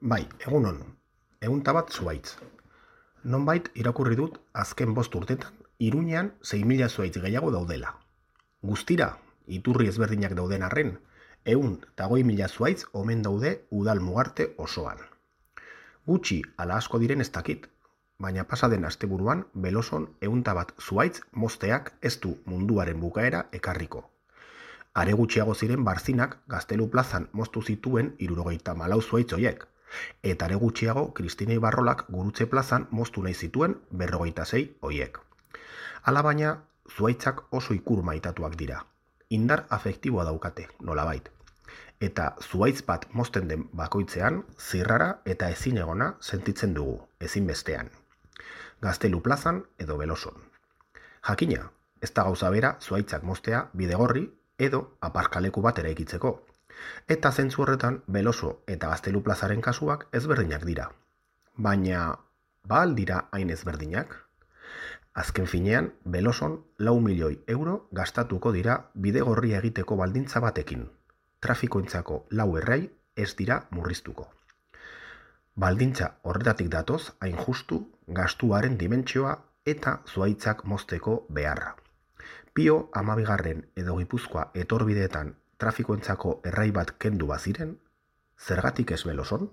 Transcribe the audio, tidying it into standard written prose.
Bai, egunon, ehunta bat zuhaitz. Nonbait irakurri dut azken 5 urtetan Iruñean 6.000 zuhaitz gehiago daudela. Guztira, iturri ezberdinak dauden arren, 120.000 zuhaitz omen daude udal mugarte osoan. Gutxi ala asko diren ez dakit, baina pasaden asteburuan Beloson 101 zuhaitz mozteak ez du munduaren bukaera ekarriko. Are gutxiago ziren Barzinak Gaztelu plazan moztu zituen 74 zuhaitz hoiek, eta are gutxiago Kristina Ibarrolak Gurutze plazan moztu nahi zituen 56 hoiek. Hala baina, zuhaitzak oso ikur maitatuak dira. Indar afektiboa daukate, nolabait. Eta zuhaitz bat mozten den bakoitzean, zirrara eta ezinegona sentitzen dugu, ezinbestean. Gaztelu plazan edo Beloson. Jakina, ez da gauza bera zuhaitzak moztea Bidegorri edo aparkaleku bat eraikitzeko. Eta zentzu horretan Beloso eta Gaztelu plazaren kasuak ezberdinak dira. Baina, ba al dira hain ezberdinak? Azken finean, Beloson 4 milioi euro gastatuko dira Bidegorria egiteko baldintza batekin. Trafikoentzako 4 errai ez dira murriztuko. Baldintza horretatik datoz hain justu gastuaren dimentsioa eta zuhaitzak mozteko beharra. Pio 12. edo Gipuzkoa etorbideetan trafikoentzako errai bat kendu baziren, zergatik ez Beloson?